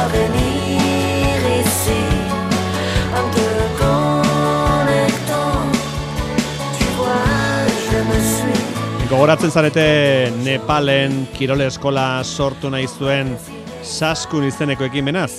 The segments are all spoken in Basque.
dois venir ici en te connectant. Tu vois, je me suis. Gogoratzen zarete Nepalen kirol eskola sortu nahi zuen Saskun izeneko ekimenaz.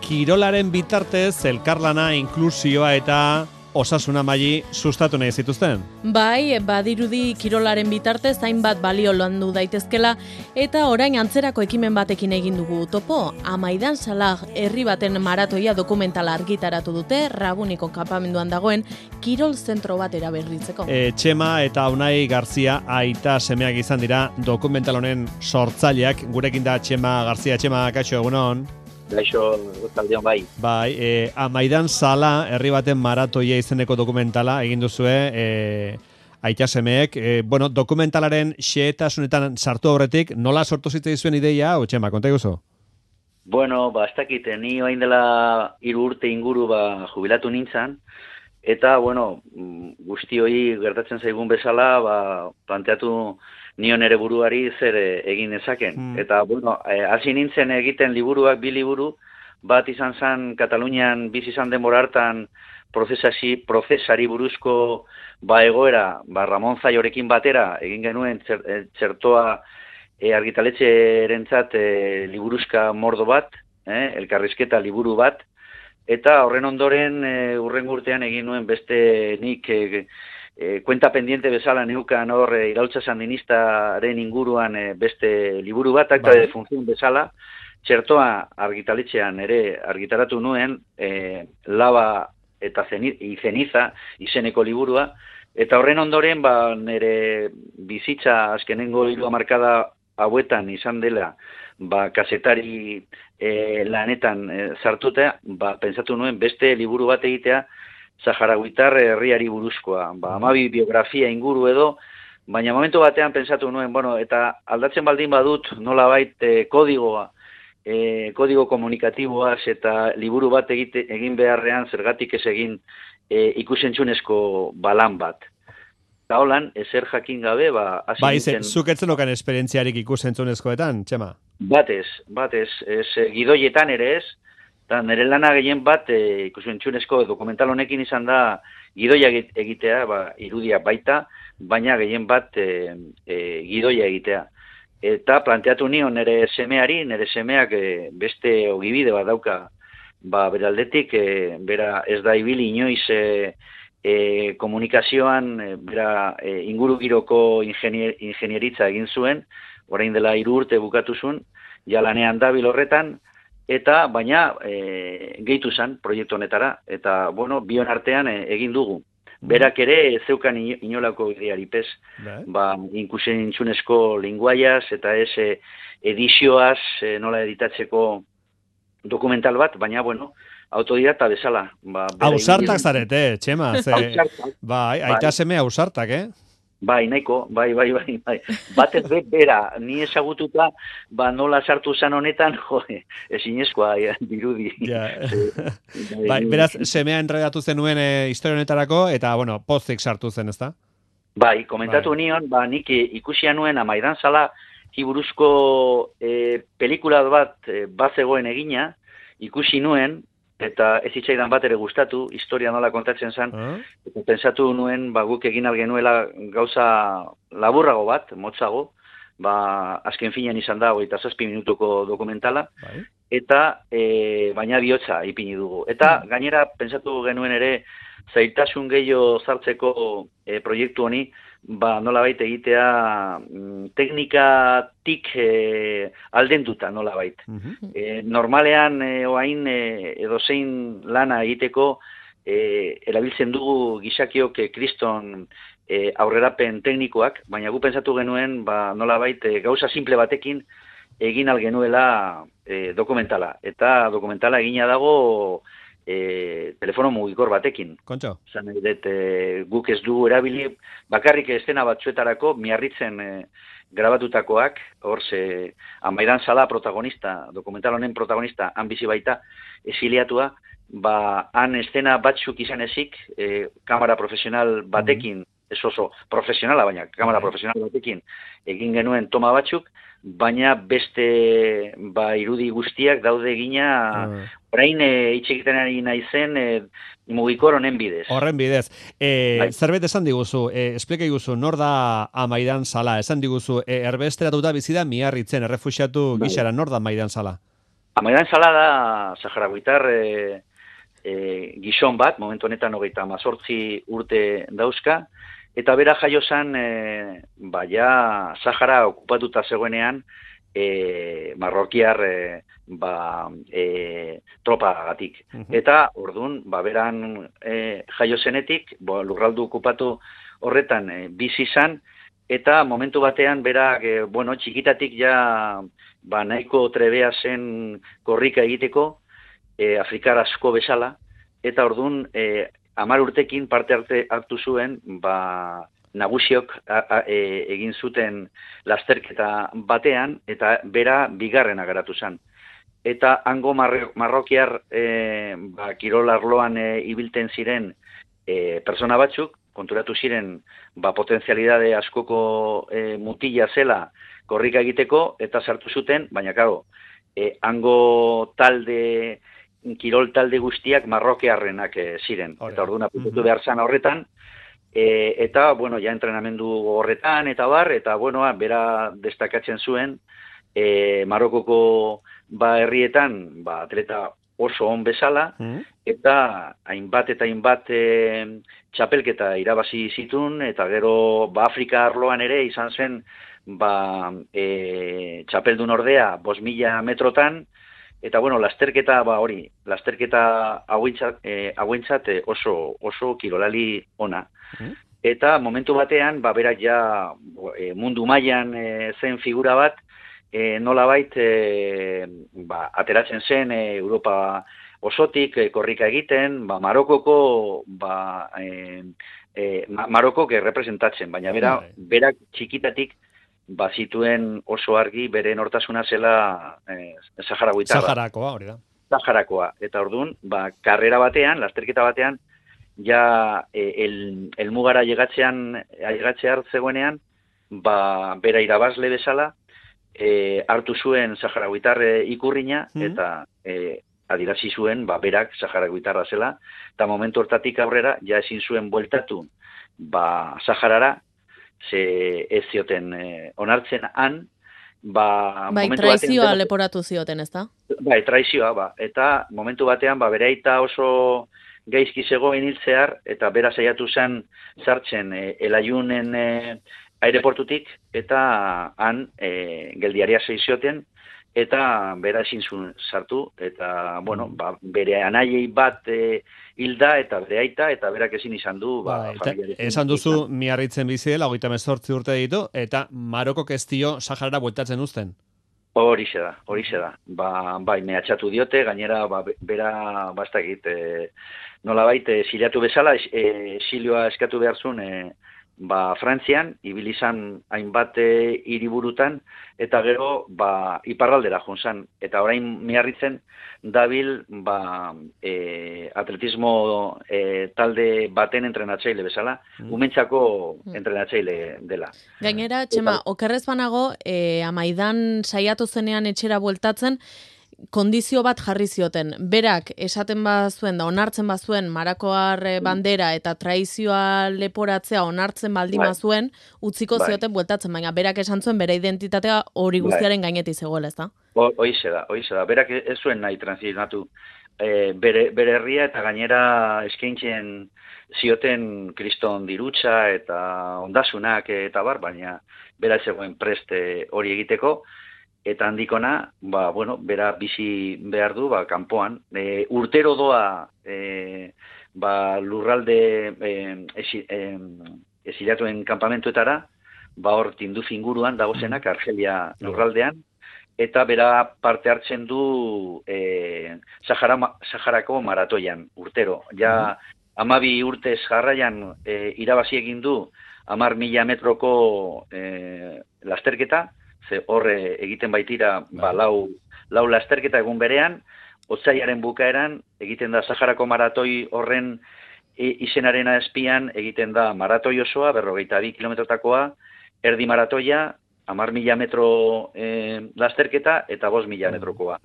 Kirolaren bitartez elkarlana, inklusioa eta osasuna maili sustatu nahi zituzten. Bai, badirudi kirolaren bitartez hainbat balio landu daitezkela eta orain antzerako ekimen batekin egin dugu topo. Amaidan Salah herri baten maratoia dokumentala argitaratu dute Rabuniko kanpamenduan dagoen kirol zentro bat eraberritzeko. Txema eta Unai Garzia aita semeak izan dira dokumental honen sortzaileak. Gurekin da Txema Garzia. Txema, kaixo, egunon. Gaixo, taldeon bai. Bai, Amaidan Salah herri baten maratoia izeneko dokumentala egin duzue, aita semeek. Bueno, dokumentalaren xehetasunetan sartu aurretik, nola sortu zitzaizuen ideia, Txema, konta iguzu? Bueno, ez dakit, ni orain dela 3 urte inguru jubilatu nintzen, eta, bueno, guzti hori gertatzen zaigun bezala, planteatu nion ere buruari zer egin ezaken. Eta, bueno, hasi nintzen egiten liburuak, 2 liburu, bat izan zen Katalunian bizi izan denbora hartan prozesari buruzko egoera, Ramon Zaiorekin batera, egin genuen txertoa argitaletxerentzat liburuzka mordo bat, elkarrizketa liburu bat, eta horren ondoren hurrengo urtean egin nuen beste nik kuenta pendiente bezala neukan hor iraultza sandinistaren inguruan beste liburu bat, akta de función bezala, txertoa argitaletxean ere argitaratu nuen, Lava eta Ceniza izeneko liburua, eta horren ondoren nire bizitza azkenengo 3 hamarkada hauetan izan dela, kazetari lanetan sartuta, pentsatu nuen beste liburu bat egitea, Saharawitar herriari buruzkoa, 12 biografia inguru edo, baina momentu batean pentsatu nuen, bueno, eta aldatzen baldin badut nolabait kodigo komunikatiboaz eta liburu bat egin beharrean zergatik ez egin ikusentzunezko balan bat. Eta holan, ezer jakin gabe, hasi nintzen... Zuk etzen okan esperientziarik ikusentzunezkoetan, Txema? Batez, gidoietan ere ez, eta nire lana gehien bat ikusentzunezko dokumental honekin izan da gidoia egitea, irudia baita, baina gehien bat gidoia egitea. Eta planteatu nion nire semeak beste ogibide bat dauka, beraldetik, bera ez da ibili inoiz komunikazioan, bera ingurugiroko ingenieritza egin zuen, orain dela 3 urte bukatu zuen, ja lanean dabil horretan, eta baina gehitu zen proiektu honetara, eta bueno, bion artean egin dugu. Berak ere zeukan inolako ideari pez, inkusentzunezko linguaiaz eta ez edizioaz nola editatzeko dokumental bat, baina bueno, autodidakta bezala. Ausartak zarete, Txema. Aita seme ausartak, Bai, nahiko, bai. Batez bera, ni ezagututa, nola sartu zan honetan, ezinezkoa dirudi. Beraz, semea enredatu zenuen historia honetarako, eta, bueno, pozik sartu zen, ezta? Bai, komentatu nion, nik ikusia nuen Amaidan Salah buruzko pelikula bat zegoen egina, ikusi nuen, eta ez hitzaidan bat ere gustatu, historia nola kontatzen zen, eta pensatu nuen, guk egin algenuela gauza laburrago bat, motzago, azken finean izan da, 27 minutuko dokumentala, eta baina bihotza ipini dugu. Eta gainera, pensatu genuen ere, zailtasun gehiago sartzeko proiektu honi, nolabait egitea teknikatik aldenduta nolabait. Normalean oain edozein lana egiteko erabiltzen dugu gizakiok kriston aurrerapen teknikoak, baina gu pentsatu genuen nolabait gauza simple batekin egin algenuela dokumentala. Eta dokumentala egina dago telefono mugikor batekin. Kontxo? Zan guk ez dugu erabili, bakarrik estena batzuetarako miarritzen grabatutakoak, hor Amaidan Salah protagonista, dokumental honen protagonista, han bizi baita, esiliatua, han estena batzuk izan ezik, kamera profesional batekin ez oso profesionala, baina kamera profesional batekin egin genuen toma batzuk, baina beste irudi guztiak daude egina orain hitz egiten ari naizen mugikor honen bidez. Horren bidez. Zerbait esan diguzu, esplika iguzu, nor da Amaidan Sala? Esan diguzu, erbesteratuta bizi da Miarritzen, errefuxiatu gixara, nor da Amaidan Sala? Amaidan Sala da saharaguitar gizon bat, momentu honetan 38 urte dauzka, eta bera jaio zen, ja Sahara okupatuta zegoenean, marrokiar tropagatik. Eta, orduan, beran jaio zenetik, lurraldu okupatu horretan bizi izan, eta momentu batean berak, txikitatik ja nahiko trebea zen korrika egiteko, Afrikar asko bezala, eta orduan 10 urtekin parte hartu zuen, nagusiok egin zuten lasterketa batean, eta bera bigarrena garatu zen. Eta hango marrokiar kirol arloan ibilten ziren persona batzuk, konturatu ziren potentzialidade askoko mutila zela korrika egiteko, eta sartu zuten, baina kago, hango kirol talde guztiak marrokiarrenak ziren. Eta orduan apuntu behar zan horretan, eta, ja entrenamendu horretan, eta bera destakatzen zuen, Marokoko herrietan, atleta oso on bezala, eta hainbat txapelketa irabazi zitun, eta gero Afrika arloan ere izan zen, txapeldun ordea 5.000 metrotan, eta lasterketa hauentzat oso kirolali ona. Eta momentu batean, berak ja mundu mailan zen figura bat, nolabait ateratzen zen Europa osotik korrika egiten, Marokoko Marokok representatzen, baina berak txikitatik zituen oso argi bere nortasuna zela saharaguitarra. Saharakoa, hori da. Saharakoa. Eta orduan, karrera batean, lasterketa batean, ja elmugara llegatzear zegoenean, bera irabazle bezala, hartu zuen saharaguitar ikurrina, eta adirazi zuen, berak saharaguitarra zela, eta momentu hortatik aurrera, ja ezin zuen bueltatu, Saharara, ze ez zioten onartzen han, traizioa leporatu zioten, ez da? Traizioa, eta momentu batean, bere aita oso gaizki zegoen hiltzear, eta bera saiatu zen sartzen Elayunen aireportutik, eta han geldiaria zioten, eta bera ezin zuen sartu, eta, bere anaiei bat hilda, eta bere aita, eta berak ezin izan du, esan duzu, Miarritzen bizi dela, 38 urte ditu, eta Marokok ez dio Saharara bueltatzen uzten. Horixe da. Mehatxatu diote, gainera, bera, bastakit, nolabait, exiliatu bezala, exilioa eskatu behar zuen, Frantzian, ibilizan hainbat hiriburutan, eta gero, iparraldera junzan. Eta orain Miarritzen dabil, atletismo talde baten entrenatzaile bezala, umentzako entrenatzaile dela. Gainera, Txema, okerrez banago, Amaidan saiatu zenean etxera bueltatzen, kondizio bat jarri zioten. Berak esaten bazuen da onartzen bazuen Marakoar bandera eta traizioa leporatzea onartzen baldin bazuen, utziko zioten bueltatzen, baina berak esan zuen bere identitatea hori guztiaren gainetik zegoela, ezta? Hoize da. Berak ez zuen nahi transitzionatu bere herria, eta gainera eskaintzen zioten kriston dirutza eta ondasunak eta baina bera zegoen preste hori egiteko. Eta handikona, bera bizi behar du, kanpoan. Urtero doa, lurralde esilatuen kampamentuetara, hor Tinduf inguruan dagozenak, Argelia lurraldean, eta bera parte hartzen du Saharako maratoian, urtero. Ja, 12 urtez jarraian irabazi egin du 10.000 metroko lasterketa, horre egiten baitira lau lasterketa egun berean, otsaiaren bukaeran egiten da Saharako maratoi horren izenaren azpian egiten da maratoi osoa, 42 kilometrotakoa, erdi maratoia, 10.000 metro lasterketa eta 5.000 metrokoa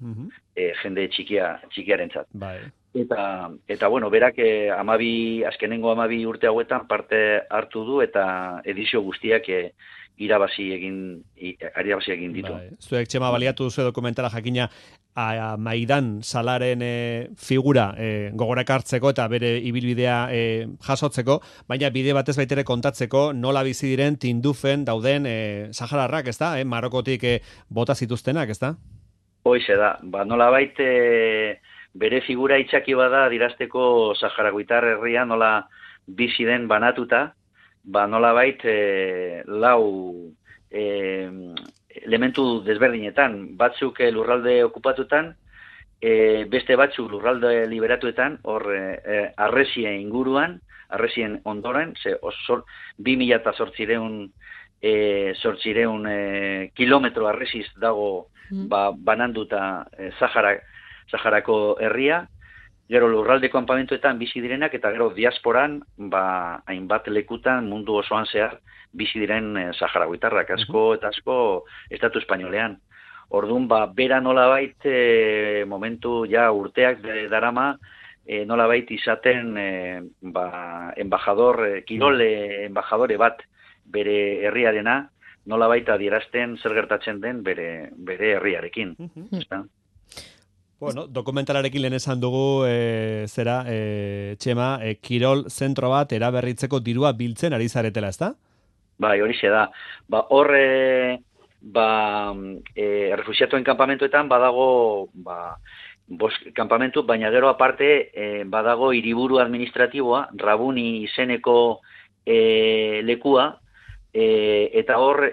jende txikiarentzat. Bai. Eta bueno, berak azkenengo 12 urte hauetan parte hartu du eta edizio guztiak irabazi egin ditu. Bai. Zuek Txema baliatu duzu dokumentala jakina Maidan Salaren figura gogorak hartzeko eta bere ibilbidea jasotzeko, baina bide batez baitere kontatzeko nola bizi diren Tindufen dauden sahararrak, ezta? Marokotik bota zituztenak, ezta? Hoize da, nolabait bere figura itxaki bada dirasteko saharagoitar herria nola bizi den banatuta, nolabait lau elementu desberdinetan, batzuk lurralde okupatutan, beste batzuk lurralde liberatuetan, hor arresien inguruan, arresien ondoren, 2.800 kilometro arresiz dago bananduta Saharako herria, gero lurralde kanpamentuetan bizi direnak eta gero diasporan hainbat lekutan mundu osoan zehar bizi diren saharagoitarrak asko eta asko estatu espainolean. Orduan bera nolabait momentu ja urteak darama nolabait izaten embajador kirole embajadore bat bere herriarena nolabait adierazten zer gertatzen den bere herriarekin. Bueno, dokumentalarekin lehen esan dugu Txema, kirol zentro bat eraberritzeko dirua biltzen ari zaretela, ezta? Bai, horixe da. Hor refuxiatuen kanpamentuetan badago bost kanpamentu, baina gero aparte badago hiriburu administratiboa, Rabuni izeneko lekua, eta hor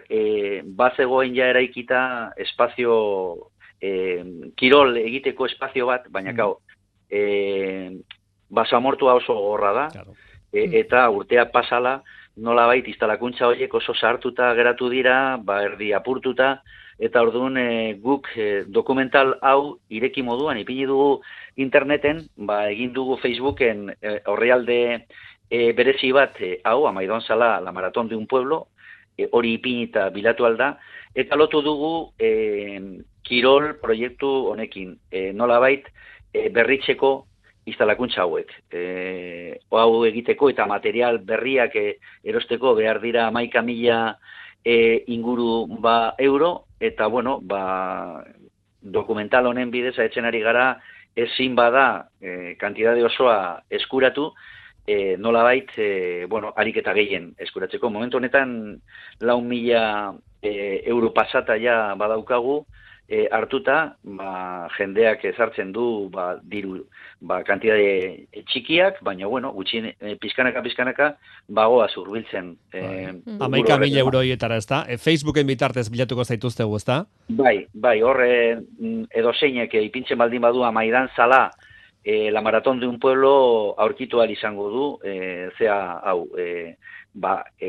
bazegoen ja eraikita espazio kirol egiteko espazio bat, baina basamortua oso gorra da, eta urtea pasala nolabait instalakuntza horiek oso sartuta geratu dira, erdi apurtuta, eta orduan guk dokumental hau ireki moduan ipini dugu interneten, egin dugu Facebooken orrialde berezi bat hau, Amaidon Sala, la maratón de un pueblo, hori ipinita bilatu alda, eta lotu dugu kirol proiektu honekin, nolabait berritzeko instalakuntza hauek. Hau egiteko eta material berriak erosteko behar dira 11.000 inguru euro, eta bueno, dokumental honen bidez etzen ari gara ezin bada kantidade osoa eskuratu, nolabait, harik eta gehien eskuratzeko. Momentu honetan 4.000 euro pasata ja badaukagu, hartuta, jendeak ezartzen du diru kantidade txikiak, baina gutxien pizkanaka bagoaz hurbiltzen. 11.000 euroietara, ezta? Facebooken bitartez bilatuko zaituztegu, ezta? Bai, hor edozeinek ipintzen baldin badu Maidan Sala, la maratón de un pueblo aurkitu ahal izango du,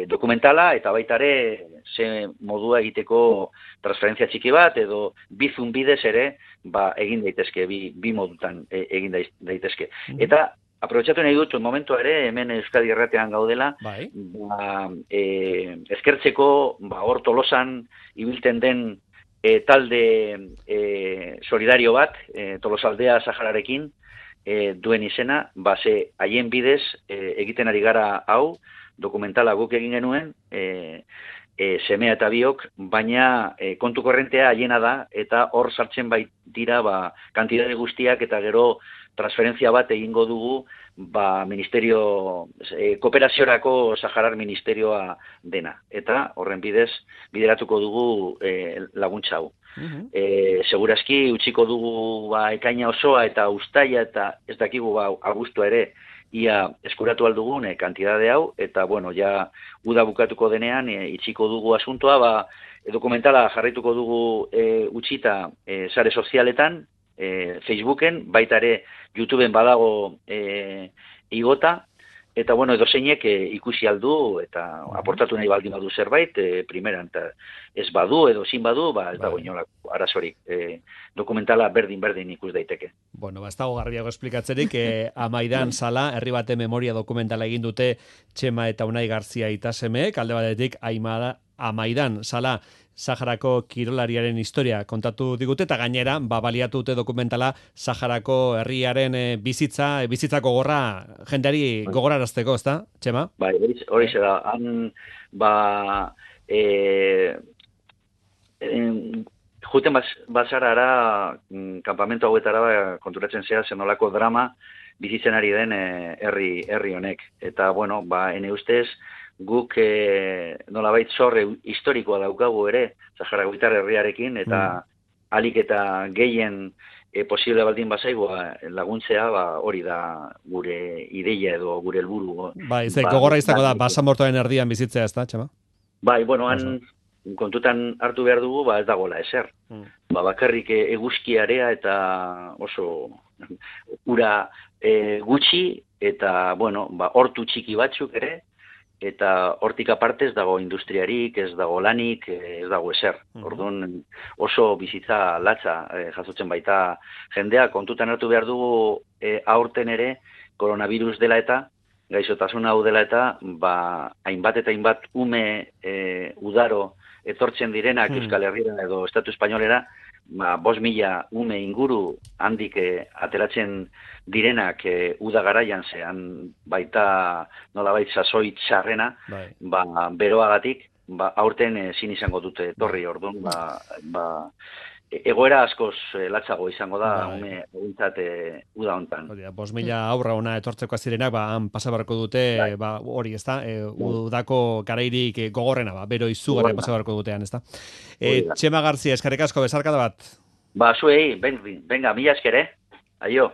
dokumentala eta baitare ze modua egiteko transferentzia txiki bat edo bizun bidez ere egin daitezke, bi modutan egin daitezke. Eta aprobetxatu nahi dut momentua ere hemen Euskadi Erratean gaudela, eskertzeko hor Tolosan ibilten den talde solidario bat, Tolosaldea Sahararekin duen izena, haien bidez egiten ari gara hau, dokumentala guk egin genuen, semea eta biok, baina kontu korrentea haiena da, eta hor sartzen baitira kantidade guztiak eta gero transferentzia bat egingo dugu ministerio, kooperaziorako Saharar ministerioa dena. Eta horren bidez bideratuko dugu laguntza hau. Segurazki utziko dugu ekaina osoa eta uztaila eta ez dakigu abuztua ere ia eskuratu aldugun kantidade hau, eta ja uda bukatuko denean itxiko dugu asuntoa, dokumentala jarraituko dugu utzita sare sozialetan, Facebooken, baita ere YouTubeen badago igota, Eta, bueno, edo zeinek ikusi aldu eta aportatu nahi baldin badu zerbait, primeran, eta ez badu edo zin badu, ez dago inolako arazorik. Dokumentala berdin ikus daiteke. Bueno, ez dago garbiago esplikatzerik, Amaidan Sala, herri bate memoria dokumentala egin dute Txema eta Unai Garzia itasemeek, alde batetik Amaidan Sala Saharako kirolariaren historia kontatu digute, eta gainera, baliatu dute dokumentala Saharako herriaren bizitzako gogorra jendeari gogorarazteko, ezta, Txema? Bai, hori da, han, juten bazarara, kanpamentu hauetara konturatzen zea zenolako drama bizitzen ari den herri honek. Eta, bueno, ene ustez, guk nolabait zorre historikoa daukagu ere, Saharakoitar herriarekin, eta alik eta gehien posible baldin bazaigoa laguntzea, hori da gure ideia edo gure helburu. Gogorra izango da, basamortoaren erdian bizitzea, ez da, Txema? Bai, bueno, han kontutan hartu behar dugu, ez dagoela ezer. Bakarrik eguzkiarea eta oso ura gutxi, eta, bueno, hortu txiki batzuk ere, eta hortik aparte ez dago industriarik, ez dago lanik, ez dago ezer. Orduan oso bizitza latza jasotzen baita jendea, kontutan hartu behar dugu aurten ere, koronavirus dela eta, gaixotasun hau dela eta, hainbat eta hainbat ume udaro etortzen direnak Euskal Herriera edo Estatu Espainolera, 5.000 ume inguru handik ateratzen direnak uda garaian zean baita nolabait sasoi txarrena, beroagatik, aurten ezin izango dute etorri, orduan, egoera askoz latzago izango da ume eguntzat uda hontan. 5.000 aurra ona etortzeko azirenak, han pasabarko dute, hori, ez da, udako garairik gogorrena, bero izugarri pasabarko dutean, ez da. Txema Garzia, eskerrik asko, besarkada bat. Zuei, venga, mila eskere, aio.